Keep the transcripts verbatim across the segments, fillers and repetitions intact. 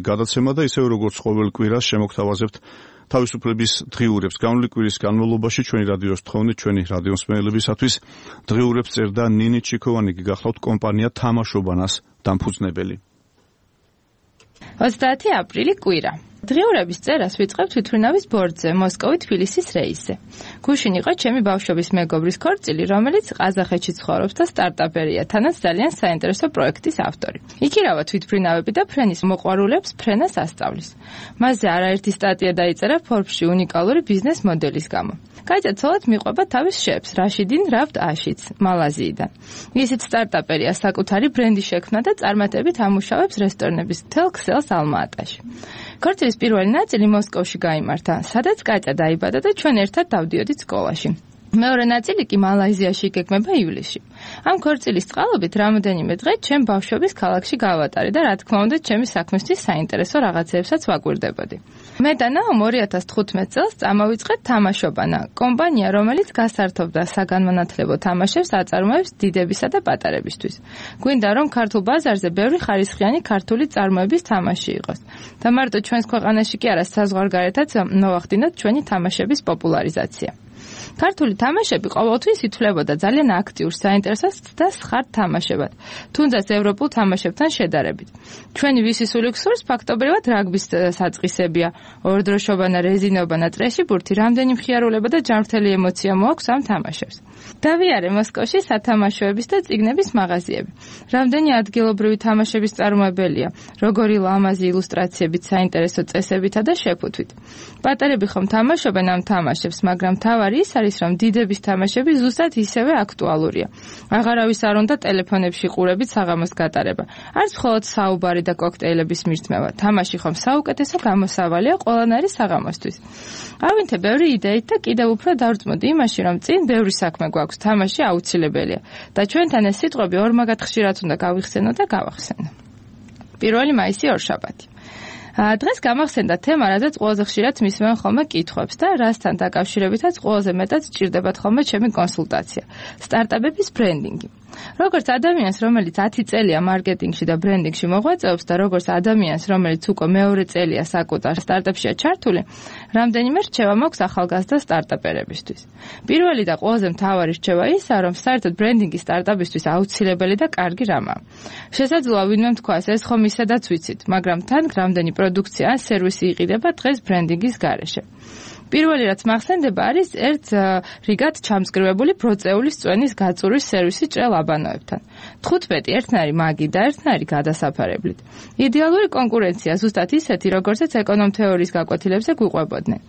გადაცემა და ისევ როგორც ყოველ კვირას შემოგთავაზებთ თავისუფლების დღიურებს. განვლილი კვირის განმავლობაში ჩვენი რადიოს თხოვნით ჩვენი რადიოსმენელებისათვის დღიურებს წერდა ნინი ჩიქოვანი, გახლავთ კომპანია თამაშობანას დამფუძნებელი. ოცდაათი აპრილი კვირა. დღიურების წერას ვიწყებთ თვითმფრინავის ბორტზე, მოსკოვი-თბილისის რეისზე. გუშინ იყო ჩემი ბავშვობის მეგობრის ქორწილი, რომელიც ყაზახეთში ცხოვრობს და სტარტაპერია, თანაც ძალიან საინტერესო პროექტის ავტორი. იქირავა თვითმფრინავები და ფრენის მოყვარულებს ფრენას ასწავლის. მასზე არაერთი სტატია დაიწერა Forbes-ში უნიკალური ბიზნეს მოდელის გამო. გაიცეცოლად მიყვება თავის შეფს, რაშიდინ რავდ აშიც, მალაზიიდან. ისიც სტარტაპერია, საკუთარი ბრენდი შექმნა და წარმატებით ამუშავებს რესტორნების მთელ ქსელს ალმა-ატაში. ქორწილის პირველი ნაწილი მოსკოვში გაიმართა, სადაც კატა დაიბადა და ჩვენ ერთად დავდიოდით სკოლაში. მეორე ნაწილი კი მალაიზიაში იგეგმება ივლისში. ამ ქორწილის წყალობით რამოდენიმე დღე ჩემ ბავშვობის ქალაქში გავატარე და რა თქმა უნდა ჩემი საქმისთვის საინტერესო რაღაცებსაც ვაკვირდებოდი. მე და ნაომ ორი ათას თხუთმეტ წელს წამოვიწყეთ თამაშობანა, კომპანია, რომელიც გასართობდა საგანმანათლებლო თამაშებს აწარმოებს დიდებისა და პატარებისთვის. გვინდა რომ ქართულ ბაზარზე ბევრი ხარისხიანი ქართული წარმოების თამაში იყოს. და მარტო ჩვენს ქვეყანაში კი არა, საზღვარგარეთაც მოვახდინოთ ჩვენი თამაშების პოპულარიზაცია. ქართული თამაშები ყოველთვის ითვლებოდა ძალიან აქტიურ, საინტერესო და სხართ თამაშებად, თუნდაც ევროპულ თამაშებთან შედარებით. ჩვენი ვისის ულუქსურს ფაქტობრივად რაგბის საწყისებია, ორდროშობანა, რეზინობანა, ტრეშიბურთი, რამდენი მხიარულება და ჯანმრთელი ემოცია მოაქვს ამ თამაშებს. დავიარე მოსკოვში სათამაშოების და წიგნების მაღაზიები. რამდენი ადგილობრივი თამაშების წარმოებელია, როგორი ლამაზი ილუსტრაციებით, საინტერესო წესებითა და შეფუთვით. პატარები ხომ თამაშობენ ამ თამაშებს, მაგრამ თავარი ის არის, რომ დიდების თამაშები ზუსტად ისევე აქტუალურია. აღარავის არ უნდა ტელეფონებში ყურებით საღამოს გატარება. არც მხოლოდ საუბარი და კოქტეილების მირთმევა. თამაში ხომ საუკეთესო გამოსავალია ყველანაირი საღამოსთვის. ავინთე ბევრი იდეით და კიდევ უფრო დავწმოდი იმაში, რომ წინ ბევრი საქმე გვაქვს, თამაში აუცილებელია და ჩვენთან ეს სიტყვები ორმაგად ხშირად უნდა გავიხსენო და გავახსენო. პირველი მაისი ორშაბათი. დღეს გამახსენდა თემა, რადგან ყველაზე ხშირად მისმევენ ხოლმე კითხვებს და რასთან დაკავშირებითაც ყველაზე მეტად სჭირდებათ ხოლმე ჩემი კონსულტაცია. სტარტაპების ბრენდინგი. როგორც ადამიანს, რომელიც ათი წელია მარკეტინგში და ბრენდინგში მოღვაწეობს და როგორც ადამიანს, რომელიც უკვე მეორე წელია საკუთარ სტარტაპშია ჩართული, რამდენიმე რჩევა მაქვს ახალგაზრდა სტარტაპერებისთვის. პირველი და ყველაზე მთავარი რჩევა ისაა, რომ საერთოდ ბრენდინგი სტარტაპისთვის აუცილებელი და კარგი რამაა. შესაძლოა ვინმე თქვას, ეს ხომ ისედაც ვიცით, მაგრამ თან რამდენი პროდუქცია ან სერვისი იყიდება დღეს ბრენდინგის გარეშე. პირველი რაც მახსენდება არის ერთ რიგად ჩამსკრივებული ბროწეულის წვენის გაწურვის სერვისი ჭრელ აბანოებთან. თხუთმეტი ერთნაირი მაგი და ერთნაირი გადასაფარებლით. იდეალური კონკურენცია ზუსტად ისეთი, როგორცაც ეკონომ თეორიის გაკვეთილებზე გვიყვებოდნენ.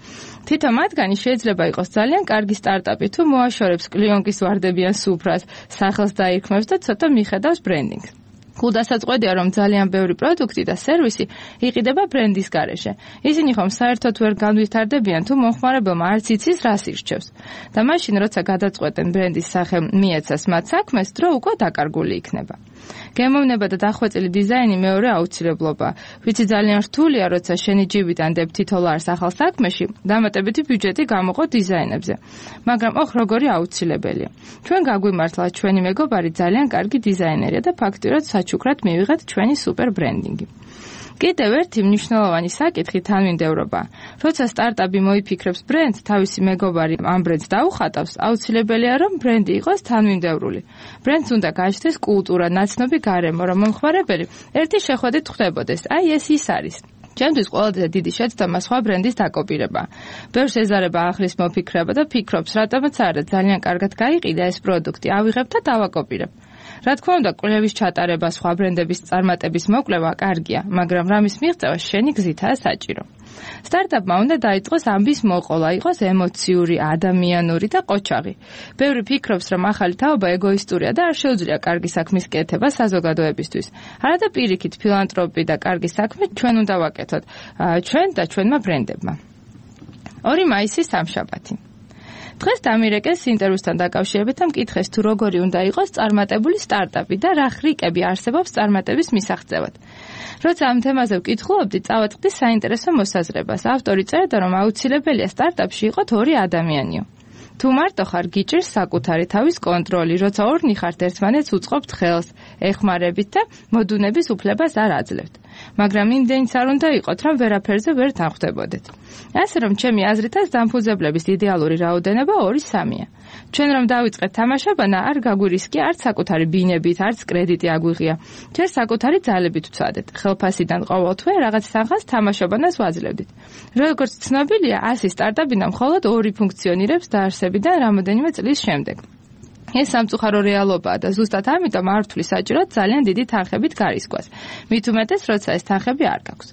თითო მათგანი შეიძლება იყოს ძალიან კარგი სტარტაპი, თუ მოაშორებს კლიონკის ვარდებიან სუფრას, სახელს დაირქმევს და ცოტა მიხედავს ბრენდინგს. გულდასაწყვეტია, რომ ძალიან ბევრი პროდუქტი და სერვისი იყიდება ბრენდის გარეშე. ისინი ხომ საერთოდ ვერ განვითარდებიან, თუ მომხმარებელმა არც იცის, რას ირჩევს. და მაშინ, როცა გადაწყვეტენ ბრენდის სახე მიეცას მათ საქმეს, დრო უკვე დაკარგული იქნება. გემოვნება და დახვეწილი დიზაინი მეორე აუცილებლობაა. ვიცი ძალიან რთულია, როცა შენი ჯიბიდან დებ თითო ლარს ახალ საქმეში, დამატებითი ბიუჯეტი გამოყო დიზაინებზე. მაგრამ ოხ როგორი აუცილებელია. ჩვენ გაგვიმართლა ჩვენი მეგობარი ძალიან კარგი დიზაინერია და ფაქტიურად საჩუქრად მივიღეთ ჩვენი სუპერ ბრენდინგი. კიდევ ერთი მნიშვნელოვანი საკითხი თანმიმდევრობაა. როცა სტარტაპი მოიფიქრებს ბრენდს, თავისი მეგობარი ამ ბრენდს დაუხატავს, აუცილებელია, რომ ბრენდი იყოს თანმიმდევრული. ბრენდს უნდა გაჩნდეს კულტურა, ნაცნობი გარემო, რომ მომხმარებელი ერთი შეხვედრით ხვდებოდეს. აი ეს ის არის. ჩემთვის ყველაზე დიდი შეცდომა სხვა ბრენდის დაკოპირება. ბევრს ეზარება ახლის მოფიქრება და ფიქრობს, რატომაც არა ძალიან კარგად გაიყიდა ეს პროდუქტი, ავიღებ და დავაკოპირებ. რა თქმა უნდა, კვლევის ჩატარება, სხვა ბრენდების წარმატების მოკვლევა კარგია, მაგრამ რამის მიღწევა შენი გზითაა საჭირო. სტარტაპმა უნდა დაიწყოს ამბის მოყოლა, იყოს ემოციური, ადამიანური და ყოჩაღი. ბევრი ფიქრობს, რომ ახალი თაობა ეგოისტურია და არ შეუძლია კარგი საქმის კეთება საზოგადოებისთვის. არადა პირიქით, ფილანტროპი და კარგი საქმე ჩვენ უნდა ვაკეთოთ, ჩვენ და ჩვენმა ბრენდებმა. ორი მაისი სამშაბათი. დღეს დამირეკეს ინტერვიუსთან დაკავშირებით და მკითხეს, თუ როგორი უნდა იყოს წარმატებული სტარტაპი და რა ხრიკები არსებობს წარმატების მისაღწევად. როცა ამ თემაზე ვკითხულობდი, წავაწყდი საინტერესო მოსაზრებას. ავტორი წერდა, რომ აუცილებელია სტარტაპში იყოთ ორი ადამიანიო. თუ მარტო ხარ, გიჭირს საკუთარი თავის კონტროლი, როცა ორნი ხართ, ერთმანეთს უწყობთ ხელს, ეხმარებით და მოდუნების უფლებას არ აძლევთ. მაგრამ იმდენიც არ უნდა იყოთ, რომ ვერაფერზე ვერ თანხვდებოდეთ. ასე რომ ჩემი აზრითაც დამფუძებლების იდეალური რაოდენობა ორი სამია. ჩვენ რომ დავიწყეთ თამაშობანა, არ გაგვირისკია არც საკუთარი ბინებით, არც კრედიტი აგვიღია. ჩვენ საკუთარი ძალებით ვცადეთ. ხელფასიდან ყოველთვე რაღაც სახას თამაშობანას ვაძლევდით. როგორც ცნობილია, ასი სტარტაპინა მხოლოდ ორი ფუნქციონირებს დაარსებიდან რამოდენიმე წლის შემდეგ. ეს სამწუხარო რეალობაა და ზუსტად ამიტომ არ ვთვლი საჭიროდ ძალიან დიდი თანხებით გარისკვას. მით უმეტეს, როცა ეს თანხები არ გაქვს.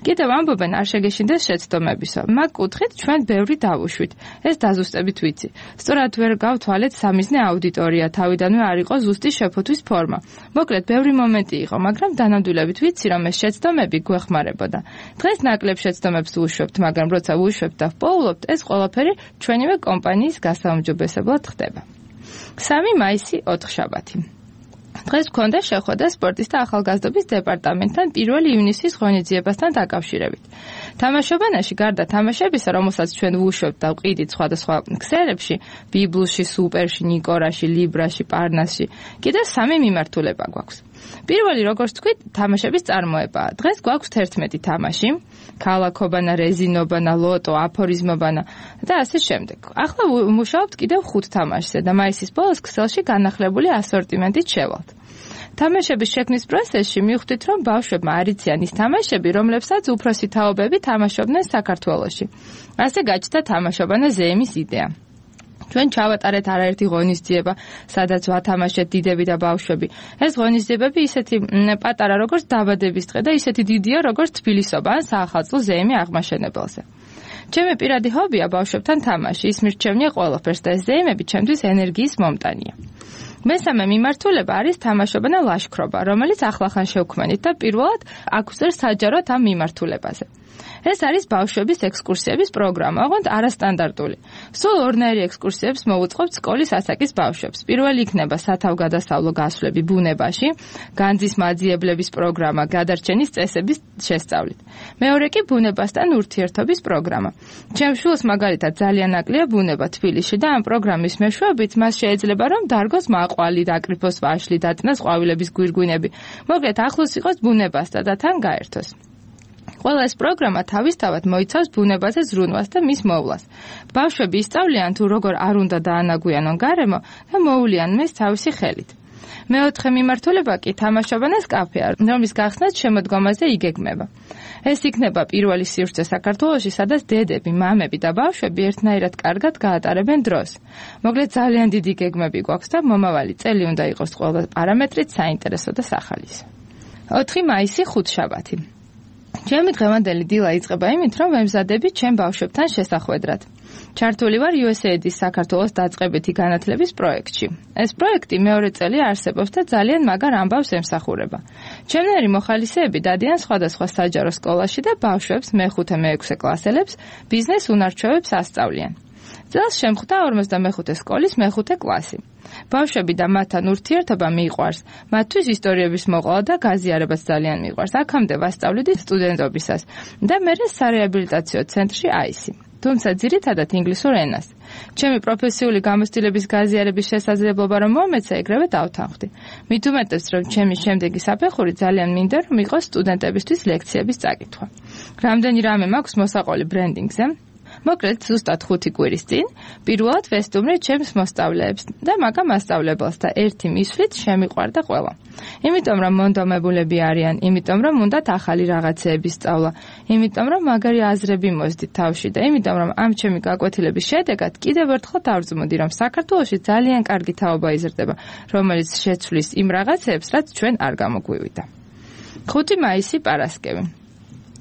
კიდევ ამბობენ, არ შეგეშინდეს შეცდომებისო. მაგ კუთხით ჩვენ ბევრი დავუშვით. ეს დაზუსტებით ვიცი. სწორად ვერ გავთვალეთ სამიზნე აუდიტორია, თავიდანვე არ იყო ზუსტი შეფოთვის ფორმა. მოკლედ, ბევრი მომენტი იყო, მაგრამ დანამდვილებით ვიცი, რომ ეს შეცდომები გვეხმარებოდა. დღეს ნაკლებ შეცდომებს ვუშვებთ, მაგრამ როცა ვუშვებთ და ვპოულობთ, ეს ყველაფერი ჩვენივე კომპანიის გასაუმჯობესებლად ხდება. სამი მაისი ოთხშაბათი. დღეს გვქონდა შეხვედრა სპორტის და ახალგაზრდობის დეპარტამენტთან პირველი ივნისის ღონისძიებასთან დაკავშირებით. თამაშობანაში გარდა თამაშებისა, რომელსაც ჩვენ ვუშვებთ და ვყიდით სხვადასხვა ქსელებში, ბიბლში, სუპერში, ნიკორაში, ლიბრაში, პარნასში, კიდევ სამი მიმართულება გვაქვს. პირველი, როგორც თქვით, თამაშების წარმოებაა. დღეს გვაქვს თერთმეტი თამაში, ქალაქობანა, რეზინობანა, ლოტო, აფორიზმობანა და ასე შემდეგ. ახლა ვმუშაობთ კიდევ ხუთ თამაშზე და მაისის ბოლოს ქსელში განახლებული ასორტიმენტით შევალთ. თამაშების შექმნის პროცესში მივხვდით, რომ ბავშვებმა არ იციან ის თამაშები, რომლებსაც უფროსი თაობები თამაშობდნენ საქართველოში. ასე გაჩნდა თამაშობანა ზეიმის იდეა. ჩვენ ჩავატარეთ არაერთი ღონისძიება, სადაც ვათამაშეთ დიდები და ბავშვები. ეს ღონისძიებები ისეთი პატარა, როგორც დაბადების დღე და ისეთი დიდია, როგორც თბილისობა ან საახალწლო ზეიმი აღმაშენებელზე. ჩემი პირადი ჰობია ბავშვებთან თამაში, ის მირჩევნია ყველაფერს და ეს ზეიმები ჩემთვის ენერგიის მომტანია. მესამე მიმართულება არის თამაშობანა ლაშქრობა, რომელიც ახლახან შევქმნით და პირველად აქვსერ საჯაროდ ამ მიმართულებაზე. ეს არის ბავშვების ექსკურსიების პროგრამა, ოღონდ არასტანდარტული. სულ ორნაირი ექსკურსიებს მოვუწყობთ სკოლის ასაკის ბავშვებს. პირველი იქნება სათავგადასავლო გასვლები ბუნებაში, განძის მაძიებლების პროგრამა, გადარჩენის წესების შესწავლით. მეორე კი ბუნებასთან ურთიერთობის პროგრამა. ჩემს შვილს მაგალითად ძალიან აკლია ბუნება თბილისში და ამ პროგრამის მეშვეობით მას შეიძლება რომ დარგოს მაყვალი, დაკრიფოს ვაშლი, დაწნას ყვავილების გვირგვინები. მოკლედ ახლოს იყოს ბუნებასთან და თან გაერთოს. ყველა ეს პროგრამა თავისთავად მოიცავს ბუნებაზე ზრუნვას და მის მოვლას. ბავშვები ისწავლიან თუ როგორ არ უნდა დაანაგვიანონ გარემო და მოულიან მის თავისი ხელით. მეოთხე მიმართულება კი თამაშობანას კაფეა, რომლის გახსნაც შემოდგომაზე იგეგმება. ეს იქნება პირველი სივრცე საქართველოში, სადაც დედები, მამები და ბავშვები ერთნაირად კარგად გაატარებენ დროს. მოკლედ ძალიან დიდი გეგმები გვაქვს და მომავალი წელი უნდა იყოს ყველა პარამეტრით საინტერესო და სახალისო. ოთხი მაისი ხუთშაბათი. ჩემი დღევანდელი დილა იწყება იმით, რომ ვემზადები ჩემ ბავშვებთან შესახვედრად. ჩართული ვარ იუ ეს έი აი-ის საქართველოს დაწყებითი განათლების პროექტში. ეს პროექტი მეორე წელი არსებობს და ძალიან მაგარ ამბავს ემსახურება. ჩემნაირი მოხალისეები დადიან სხვადასხვა საჯარო სკოლაში და ბავშვებს მეხუთე მეექვსე კლასელებს ბიზნეს უნარჩვევებს ასწავლიან. წელს შემხვდა ორმოცდამეხუთე სკოლის მეხუთე კლასი. ბავშვები და მათთან ურთიერთობა მიყვარს. მათთვის ისტორიების მოყოლა და გაზიარებაც ძალიან მიყვარს. აქამდე ვასწავლიდი სტუდენტობისას და მერე სარეაბილიტაციო ცენტრში აისი. თუმცა ძირითადად ინგლისურ ენას. ჩემი პროფესიული გამოცდილების გაზიარების შესაძლებლობა რომ მომეცა, ეგრევე დავთანხმდი. მით უმეტეს, რომ ჩემი შემდეგი საფეხური ძალიან მინდა, რომ იყოს სტუდენტებისთვის ლექციების წაკითხვა. რამდენი რამე მაქვს მოსაყოლი ბრენდინგზე. მოკლედ, ზუსტად ხუთი კვირის წინ, პირველად ვესტუმრე ჩემს მოსწავლეებს და მაგა მასწავლებელს და ერთი მისვლით შემიყვარდა ყველა. იმიტომ რომ მონდომებულები არიან, იმიტომ რომ უნდათ ახალი რაღაცეების სწავლა, იმიტომ რომ მაგარი აზრები მოსდით თავში და იმიტომ რომ ამ ჩემი გაკვეთილების შედეგად კიდევ ერთხელ დავრძმოდი, რომ საქართველოში ძალიან კარგი თაობა იზრდება, რომელიც შეცვლის იმ რაღაცეებს, რაც ჩვენ არ გამოგვივიდა. ხუთი მაისი პარასკევი.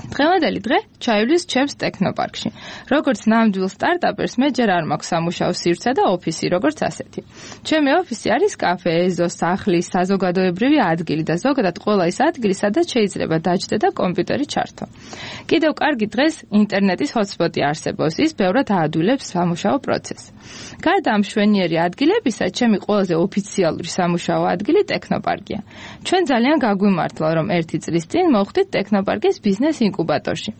დღევანდელი დღე ჩაივლის ჩემს ტექნოპარკში. როგორც ნამდვილ სტარტაპერს, მე ჯერ არ მაქვს სამუშაო სივრცე და ოფისი, როგორც ასეთი. ჩემი ოფისი არის კაფე, ეზო, სახლი, საზოგადოებრივი ადგილი და ზოგადად ყველა ის ადგილი, სადაც შეიძლება დაჯდე და კომპიუტერი ჩართო. კიდევ კარგი დღეს ინტერნეტის ჰოტსპოტი არსებობს, ის ბევრად აადვილებს სამუშაო პროცესს. გარდა ამ მშვენიერი ადგილებისა, ჩემი ყველაზე ოფიციალური სამუშაო ადგილი ტექნოპარკია. ჩვენ ძალიან გაგვიმართლა, რომ ერთი წლის წინ მოვხდით ტექნოპარკის ბიზნეს ინკუბატორში.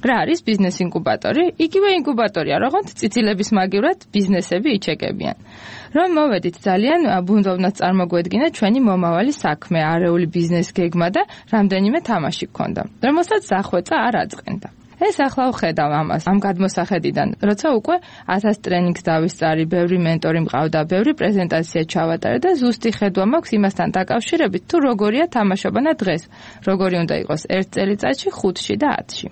რა არის ბიზნეს ინკუბატორი? იგივე ინკუბატორია, როგორც წიწილების მაგივრად ბიზნესები იჩეკებიან. რომ მოვედით ძალიან ბუნდოვნად წარმოგვედგინა ჩვენი მომავალი საქმე, არეული ბიზნეს გეგმა და რამდენიმე თამაში გქონდა, რომელსაც სახვეწა არ აწყენდა. ეს ახლა ვხედავ ამას, ამ გადმოსახედიდან, როცა უკვე ათას ტრენინგს დავისწარი, ბევრი მენტორი მყავდა, ბევრი პრეზენტაცია ჩავატარე და ზუსტი ხედვა მაქვს იმასთან დაკავშირებით, თუ როგორია თამაშობანა დღეს, როგორი უნდა იყოს ერთ წელიწადში, ხუთში და ათში.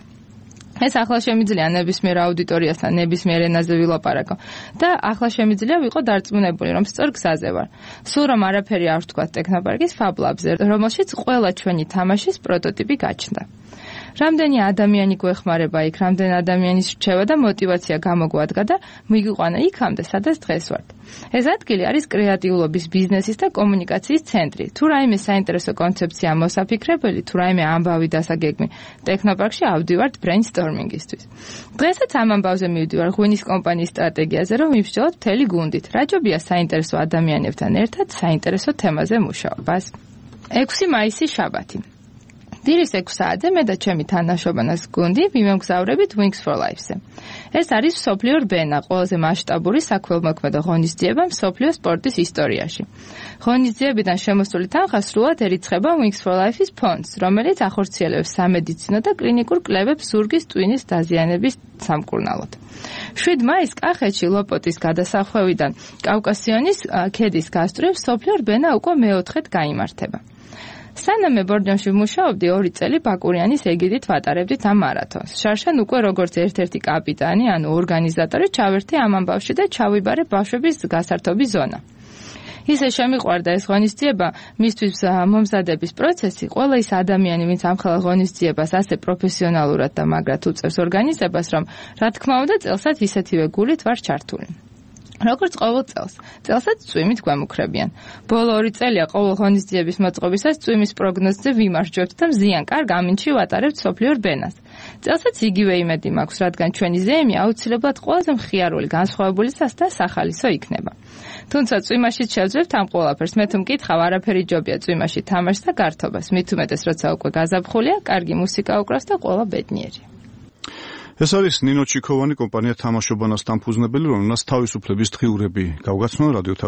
ეს ახლა შემიძლია ნებისმიერ აუდიტორიასთან ნებისმიერ ენაზე ვილაპარაკო და ახლა შემიძლია ვიყო დარწმუნებული, რომ სწორ გზაზე ვარ. სულ რომ არაფერი არ ვთქვა ტექნოპარკის ფაბლაბზე, რომელშიც ყველა ჩვენი თამაშის პროტოტიპი გაჩნდა. რამდენი ადამიანი გვეხმარება იქ, რამდენი ადამიანის რჩევა და мотиваცია გამოგვადგა და მიგვიყვანა იქამდე, სადაც დღეს ვართ. ეს ადგილი არის კრეატიულობის, ბიზნესის და კომუნიკაციის ცენტრი. თუ რაიმე საინტერესო კონცეფცია მოსაფიქრებელი, თუ რაიმე ამბავი დასაგეგმი, ტექნოპარკში ავდივართ ბრეინსტორმინგისთვის. დღესაც ამ ამბავზე მივდივარ ღვინის კომპანიის სტრატეგიაზე, რომ მივსჯელოთ მთელი გუნდით. რაჯობია საინტერესო ადამიანებთან ერთად საინტერესო თემაზე მუშაობას. ექვსი მაისი შაბათი. დილის ექვს საათზე მე და ჩემი თანაშობანას გუნდი ვიმოგზავრებით Wings for Life-ზე. ეს არის მსოფლიო რბენა, ყველაზე მასშტაბური საქველმოქმედო ღონისძიება მსოფლიო სპორტის ისტორიაში. ღონისძიებიდან შემოსული თანხა სრულად ერიცხება Wings for Life-ის ფონდს, რომელიც ახორციელებს სამედიცინო და კლინიკურ კლებებს ზურგის ტვინის დაზიანების სამკურნალოდ. შვიდ მაისს კახეთში ლოპოტის გადასახვევიდან კავკასიონის ქედის გასწვრივ მსოფლიო რბენა უკვე მეოთხედ გაიმართება. სანამ მე ბორჯომში ვმუშაობდი, ორი წელი ბაკურიანის ეგიდით ვატარებდით ამ მარათონს. შარშან უკვე როგორც ერთ-ერთი კაპიტანი, ანუ ორგანიზატორი ჩავერთი ამ ამბავში და ჩავიბარე ბავშვების გასართობის ზონა. ისე შემიყვარდა ეს ღონისძიება, მისთვის მომზადების პროცესი, ყველა ის ადამიანი, ვინც ამ ხელა ღონისძიებას ასე პროფესიონალურად და მაგრად უწევს ორგანიზებას, რომ რა თქმა უნდა წელსაც ისეთივე გულით ვარ ჩართული. როგორც ყოველ წელს, წელსაც წვიმით გვემუქრებიან. ბოლო ორი წელია ყოველ ღონისძიების მოწყობისას წვიმის პროგნოზზე ვიმარჯვებთ და მზიან კარგ ამინდში ვატარებთ სოფლიო რბენას. წელსაც იგივე იმედი მაქვს, რადგან ჩვენი ზეიმი აუცილებლად ყველაზე მხიარული, განსხვავებული და სახალისო იქნება. თუმცა წვიმაშიც შევძლებთ ამ ყველაფერს, მე თუ მკითხავ, არაფერი ჯობია წვიმაში თამაშს და გართობას, მით უმეტეს როცა უკვე გაზაფხულია, კარგი მუსიკა უკრავს და ყველა ბედნიერი. ეს არის ნინო ჩიქოვანი, კომპანია თამაშობანას დამფუძნებელი, რომელსაც თავისუფლების დღიურები გავგაცნო რადიო